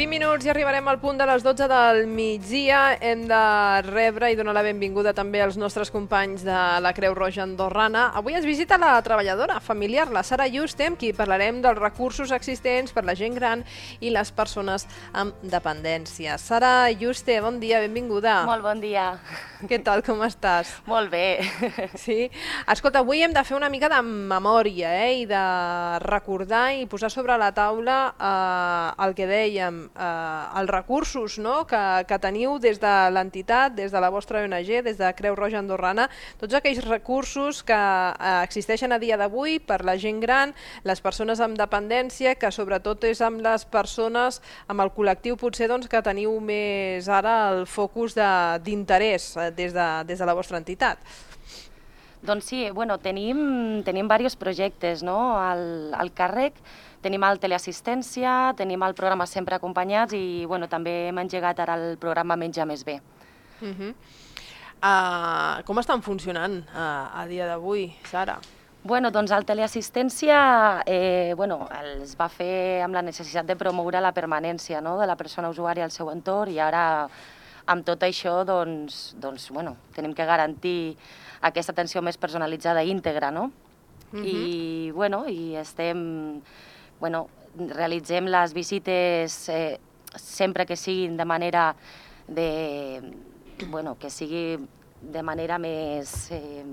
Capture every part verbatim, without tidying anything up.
vint minuts i arribarem al punt de les dotze del migdia. Hem de rebre i donar la benvinguda també als nostres companys de la Creu Roja Andorrana. Avui ens visita la treballadora familiar, la Sara Yuste, amb qui parlarem dels recursos existents per la gent gran i les persones amb dependència. Sara Yuste, bon dia, benvinguda. Molt bon dia. Què tal, com estàs? Molt bé. Sí? Escolta, avui hem de fer una mica de memòria eh? i de recordar i posar sobre la taula eh, el que dèiem, eh, els recursos no? que, que teniu des de l'entitat, des de la vostra O N G, des de Creu Roja Andorrana, tots aquells recursos que eh, existeixen a dia d'avui per la gent gran, les persones amb dependència, que sobretot és amb les persones, amb el col·lectiu potser doncs, que teniu més ara el focus d'interès de, des, de, des de la vostra entitat. Doncs sí, bueno, tenim, tenim diversos projectes no? al, al càrrec. Tenim el teleassistència, tenim el programa Sempre Acompanyats i bueno, també hem engegat ara el programa Menja Més Bé. Uh -huh. uh, com estan funcionant uh, a dia d'avui, Sara? Bueno, doncs el teleassistència eh, bueno, es va fer amb la necessitat de promoure la permanència no? de la persona usuària al seu entorn i ara amb tot això doncs, doncs, bueno, tenim que garantir aquesta atenció més personalitzada i íntegra, no? Uh -huh. I, bueno, i estem, bueno, realitzem les visites eh, sempre que siguin de manera de, bueno, que sigui de manera més eh,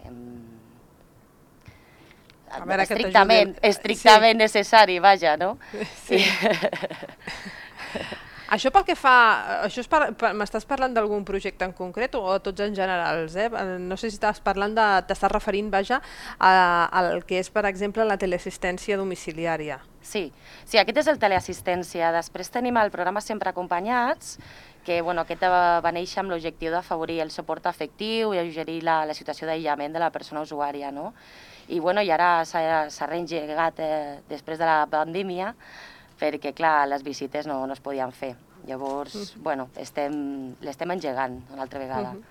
eh, A veure, estrictament, estrictament sí. necessari, vaja, no? Sí. Això pel que fa... Això m'estàs parlant d'algun projecte en concret o tots en generals? Eh? No sé si estàs parlant de... T'estàs referint, vaja, al que és, per exemple, la teleassistència domiciliària. Sí, sí, aquest és el teleassistència. Després tenim el programa Sempre Acompanyats, que bueno, aquest va néixer amb l'objectiu d'afavorir el suport afectiu i alleugerir la, la situació d'aïllament de la persona usuària, no? I, bueno, i ara s'ha reengegat eh, després de la pandèmia, perquè, clar, les visites no, no es podien fer. Llavors, uh -huh. bueno, estem, l'estem engegant una altra vegada. Uh -huh.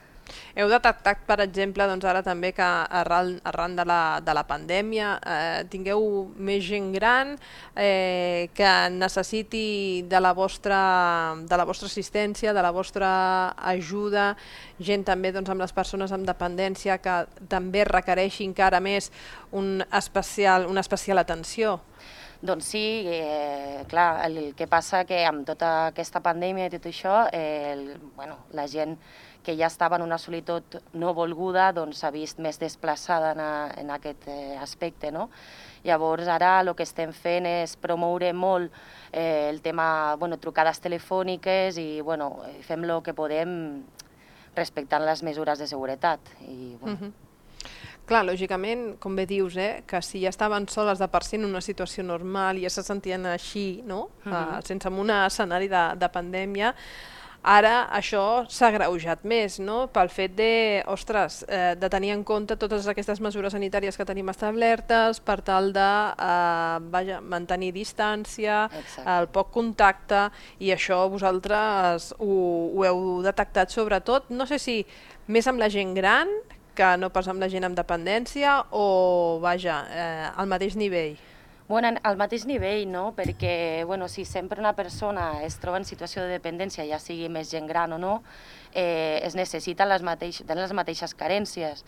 Heu detectat, per exemple, doncs ara també que arran, arran de, la, de la pandèmia eh, tingueu més gent gran eh, que necessiti de la, vostra, de la vostra assistència, de la vostra ajuda, gent també doncs, amb les persones amb dependència que també requereixi encara més un especial, una especial atenció? Doncs sí, eh, clar, el, el que passa que amb tota aquesta pandèmia i tot això, eh, el, bueno, la gent que ja estava en una solitud no volguda doncs s'ha vist més desplaçada en, a, en aquest eh, aspecte, no? Llavors ara el que estem fent és promoure molt eh, el tema, bueno, trucades telefòniques i bueno, fem el que podem respectant les mesures de seguretat. I, bueno, uh-huh. Clar, lògicament, com bé dius, eh, que si ja estaven soles de per si en una situació normal i ja se sentien així, no? Uh -huh. uh, sense un escenari de, de pandèmia, ara això s'ha agreujat més, no? Pel fet de, ostres, eh, de tenir en compte totes aquestes mesures sanitàries que tenim establertes per tal de eh, vaja, mantenir distància, Exacte. el poc contacte, i això vosaltres ho, ho heu detectat sobretot, no sé si més amb la gent gran que no pas amb la gent amb dependència o, vaja, eh, al mateix nivell? Bueno, al mateix nivell, no? Perquè, bueno, si sempre una persona es troba en situació de dependència, ja sigui més gent gran o no, eh, es necessiten les, mateix, les mateixes carències.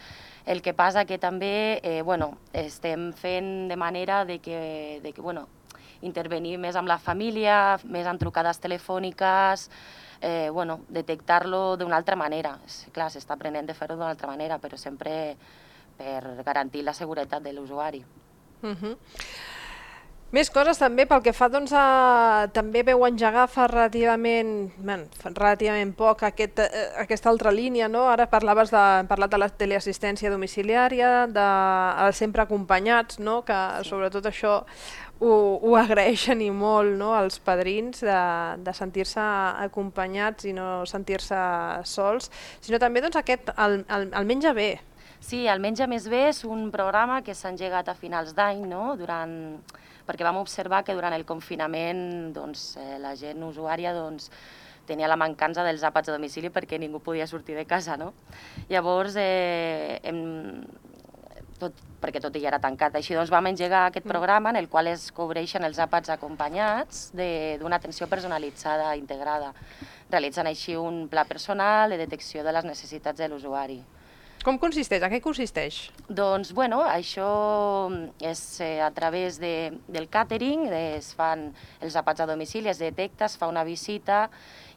El que passa que també, eh, bueno, estem fent de manera de que, de que, bueno, intervenir més amb la família, més amb trucades telefòniques, Eh, bueno, detectar-lo d'una altra manera. Clar, s'està aprenent de fer-ho d'una altra manera, però sempre per garantir la seguretat de l'usuari. Uh-huh. Més coses també pel que fa, doncs, a... també veu engegar fa relativament, bueno, fa relativament poc aquest, eh, aquesta altra línia, no? Ara parlaves de, hem parlat de la teleassistència domiciliària, de els Sempre Acompanyats, no? Que sí. Sobretot això ho, ho agraeixen i molt, no? Els padrins de, de sentir-se acompanyats i no sentir-se sols, sinó també doncs, aquest, el, el, el Menja Bé. Sí, el Menja Més Bé és un programa que s'ha engegat a finals d'any, no? Durant... perquè vam observar que durant el confinament doncs, eh, la gent usuària doncs, tenia la mancança dels àpats a domicili perquè ningú podia sortir de casa, no? Llavors, eh, hem, tot, perquè tot ja era tancat. Així doncs vam engegar aquest programa en el qual es cobreixen els àpats acompanyats d'una atenció personalitzada integrada, realitzant així un pla personal de detecció de les necessitats de l'usuari. Com consisteix? A què consisteix? Doncs, bueno, això és eh, a través de, del càtering, es fan els àpats a domicili, es detecta, es fa una visita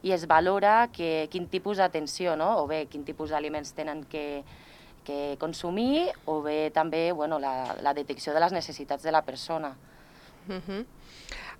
i es valora que, quin tipus d'atenció, no? O bé quin tipus d'aliments tenen que, que consumir, o bé també bueno, la, la detecció de les necessitats de la persona. Uh -huh.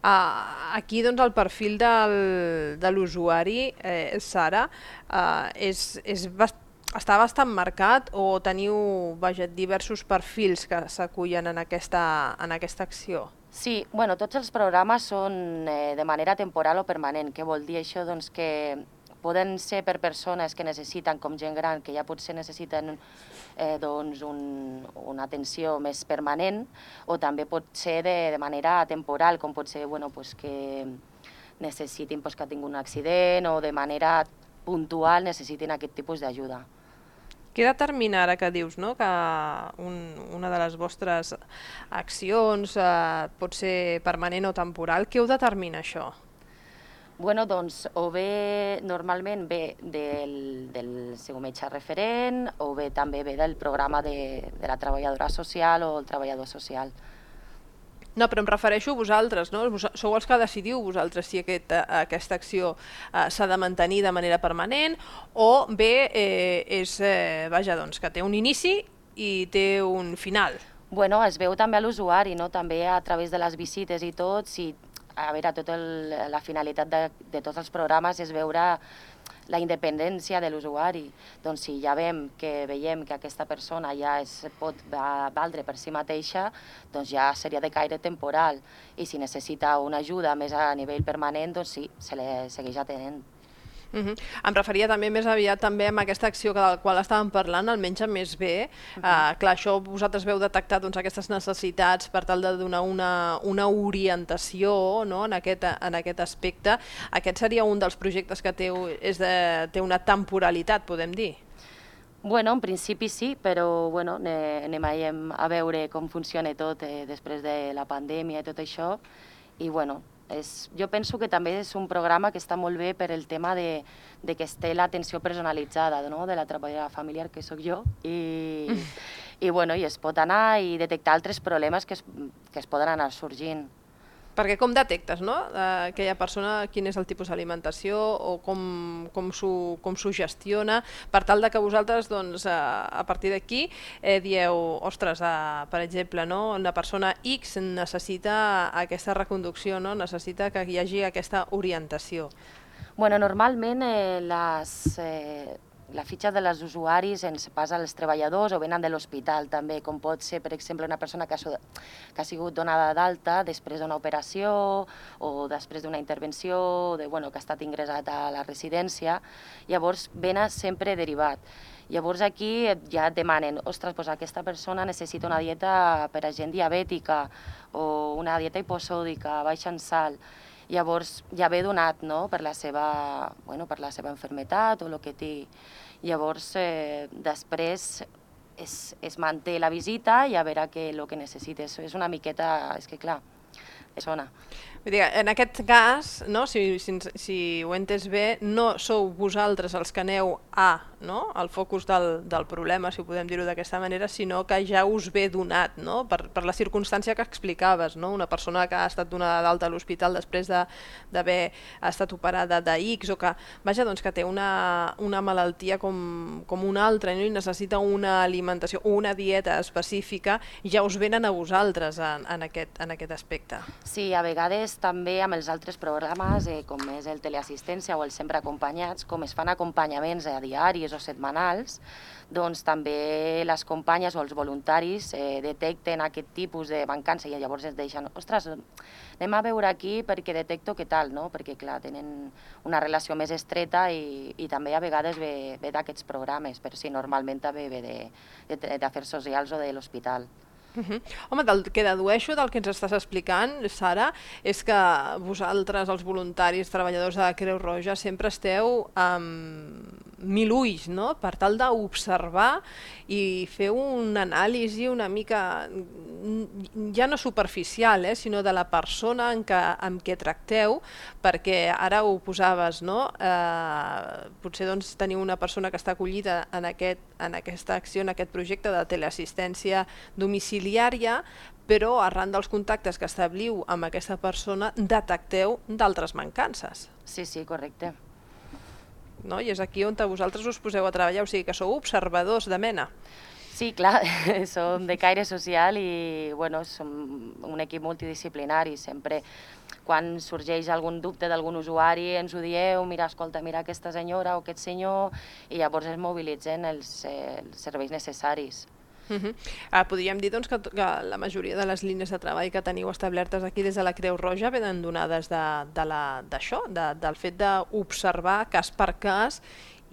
uh, aquí doncs, el perfil del, de l'usuari, eh, Sara, uh, és, és bastant està bastant marcat o teniu vaja, diversos perfils que s'acullen en, aquesta, en aquesta acció? Sí, bueno, tots els programes són eh, de manera temporal o permanent. Què vol dir això? Doncs que poden ser per persones que necessiten, com gent gran, que ja potser necessiten eh, doncs un, una atenció més permanent, o també pot ser de, de manera temporal, com pot ser bueno, pues que necessitin pues, que tinguin un accident o de manera puntual necessitin aquest tipus d'ajuda. Què determina ara que dius no? que un, una de les vostres accions eh, pot ser permanent o temporal? Què ho determina això? Bueno, doncs, o bé normalment ve del, del seu metge referent, o bé també ve del programa de, de la treballadora social o el treballador social. No, però em refereixo a vosaltres, no? Sou els que decidiu vosaltres si aquest, aquesta acció eh, s'ha de mantenir de manera permanent o bé eh, és, eh, vaja, doncs, que té un inici i té un final. Bueno, es veu també a l'usuari, no? També a través de les visites i tot, si, a veure, tota la finalitat de, de tots els programes és veure la independència de l'usuari. Doncs si ja veiem que veiem que aquesta persona ja es pot valdre per si mateixa, doncs ja seria de caire temporal. I si necessita una ajuda més a nivell permanent, doncs sí, se li segueix atenent. Uh -huh. Em referia també més aviat també amb aquesta acció de la qual estàvem parlant, el Menja Més Bé. Uh -huh. uh, clar, això vosaltres veu detectar doncs, aquestes necessitats per tal de donar una, una orientació no? en, aquest, en aquest aspecte. Aquest seria un dels projectes que té, és de, té una temporalitat, podem dir? Bueno, en principi sí, però bueno, anem a veure com funciona tot eh, després de la pandèmia i tot això. I bueno, És, jo penso que també és un programa que està molt bé per el tema de, de que es té l'atenció personalitzada, no? De la treballadora familiar, que sóc jo, i, i, bueno, i es pot anar i detectar altres problemes que es, que es poden anar sorgint. Perquè com detectes, no? Eh, aquella persona, quin és el tipus d'alimentació o com, com s'ho gestiona, per tal de que vosaltres, doncs, a, a partir d'aquí, eh, dieu, ostres, eh, per exemple, no? Una persona X necessita aquesta reconducció, no? Necessita que hi hagi aquesta orientació. Bueno, normalment eh, les... Eh, la fitxa de les usuaris ens passa als treballadors o venen de l'hospital també, com pot ser, per exemple, una persona que ha, que ha sigut donada d'alta després d'una operació o després d'una intervenció, de, bueno, que ha estat ingressat a la residència, llavors venen sempre derivat. Llavors aquí ja et demanen, ostres, doncs aquesta persona necessita una dieta per a gent diabètica o una dieta hiposòdica, baixa en sal. Llavors ja ve donat, no?, per la seva, bueno, per la seva malaltia o el que té. Llavors, eh, després es, es manté la visita i a veure que el que necessites. És una miqueta, és que clar, és ona. Vull dir, en aquest cas, no, si, si, si ho he entès bé, no sou vosaltres els que aneu a, no, al focus del, del problema, si ho podem dir-ho d'aquesta manera, sinó que ja us ve donat, no, per, per la circumstància que explicaves, no, una persona que ha estat donada d'alta a l'hospital després d'haver estat operada de X o que, vaja, doncs que té una, una malaltia com, com una altra, no, i necessita una alimentació o una dieta específica, ja us venen a vosaltres en, en, aquest, en aquest aspecte. Sí, a vegades també amb els altres programes, eh, com és el teleassistència o el Sempre Acompanyats, com es fan acompanyaments a diaris o setmanals, doncs també les companyes o els voluntaris eh, detecten aquest tipus de mancança i llavors es deixen, ostres, anem a veure aquí perquè detecto què tal, no? Perquè clar, tenen una relació més estreta i, i també a vegades ve, ve d'aquests programes, però sí, normalment també ve d'afers socials o de l'hospital. Uh -huh. Home, del que dedueixo del que ens estàs explicant, Sara, és que vosaltres, els voluntaris, treballadors de la Creu Roja, sempre esteu um, mil ulls, no? Per tal d'observar i fer una anàlisi una mica, ja no superficial, eh, sinó de la persona en què, amb què tracteu, perquè ara ho posaves, no? Eh, potser doncs, teniu una persona que està acollida en, aquest, en aquesta acció, en aquest projecte de teleassistència domiciliària, però arran dels contactes que establiu amb aquesta persona detecteu d'altres mancances. Sí, sí, correcte. No? I és aquí on vosaltres us poseu a treballar, o sigui que sou observadors de mena. Sí, clar, som de caire social i bueno, som un equip multidisciplinari. Sempre quan sorgeix algun dubte d'algun usuari ens ho dieu, mira, escolta, mira aquesta senyora o aquest senyor, i llavors es mobilitzen els, eh, els serveis necessaris. Uh -huh. ah, podríem dir doncs, que, que la majoria de les línies de treball que teniu establertes aquí des de la Creu Roja venen donades d'això, de, de la, de, del fet d'observar cas per cas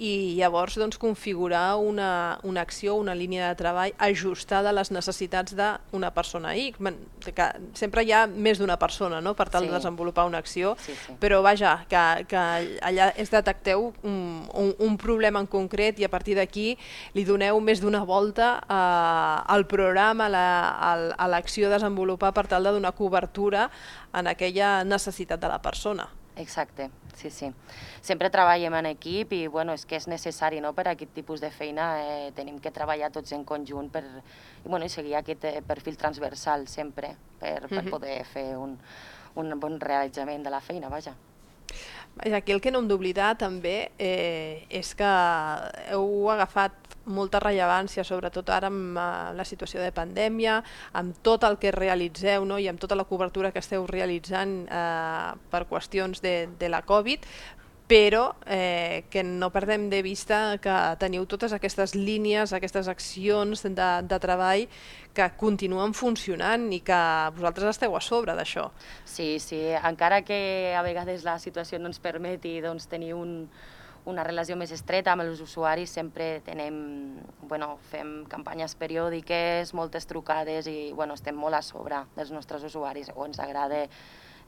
i llavors doncs, configurar una, una acció, una línia de treball ajustada a les necessitats d'una persona X. Que sempre hi ha més d'una persona, no?, per tal sí. de desenvolupar una acció, sí, sí. però vaja, que, que allà es detecteu un, un, un problema en concret i a partir d'aquí li doneu més d'una volta eh, al programa, a l'acció a desenvolupar per tal de donar cobertura en aquella necessitat de la persona. Exacte, sí, sí. Sempre treballem en equip i bueno, és que és necessari, no? Per a aquest tipus de feina eh, tenim que treballar tots en conjunt per i, bueno, i seguir aquest eh, perfil transversal sempre per, per uh-huh. poder fer un, un bon realitzament de la feina, vaja. Aquí el que no hem d'oblidar també eh, és que heu agafat molta rellevància, sobretot ara amb uh, la situació de pandèmia, amb tot el que realitzeu, no? I amb tota la cobertura que esteu realitzant eh, per qüestions de, de la Covid, però eh, que no perdem de vista que teniu totes aquestes línies, aquestes accions de, de treball que continuen funcionant i que vosaltres esteu a sobre d'això. Sí, sí, encara que a vegades la situació no ens permeti doncs, tenir un, una relació més estreta amb els usuaris, sempre tenem, bueno, fem campanyes periòdiques, moltes trucades i bueno, estem molt a sobre dels nostres usuaris, o ens agrada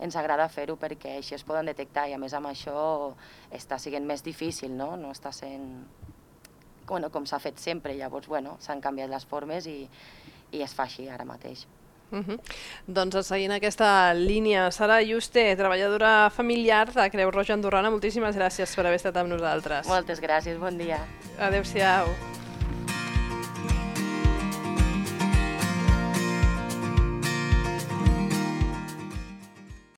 ens agrada fer-ho perquè així es poden detectar i a més amb això està sent més difícil, no? No està sent bueno, com s'ha fet sempre, llavors bueno, s'han canviat les formes i, i es fa així ara mateix. Uh-huh. Doncs seguint aquesta línia, Sara Yuste, treballadora familiar de Creu Roja Andorrana, moltíssimes gràcies per haver estat amb nosaltres. Moltes gràcies, bon dia. Adéu-siau.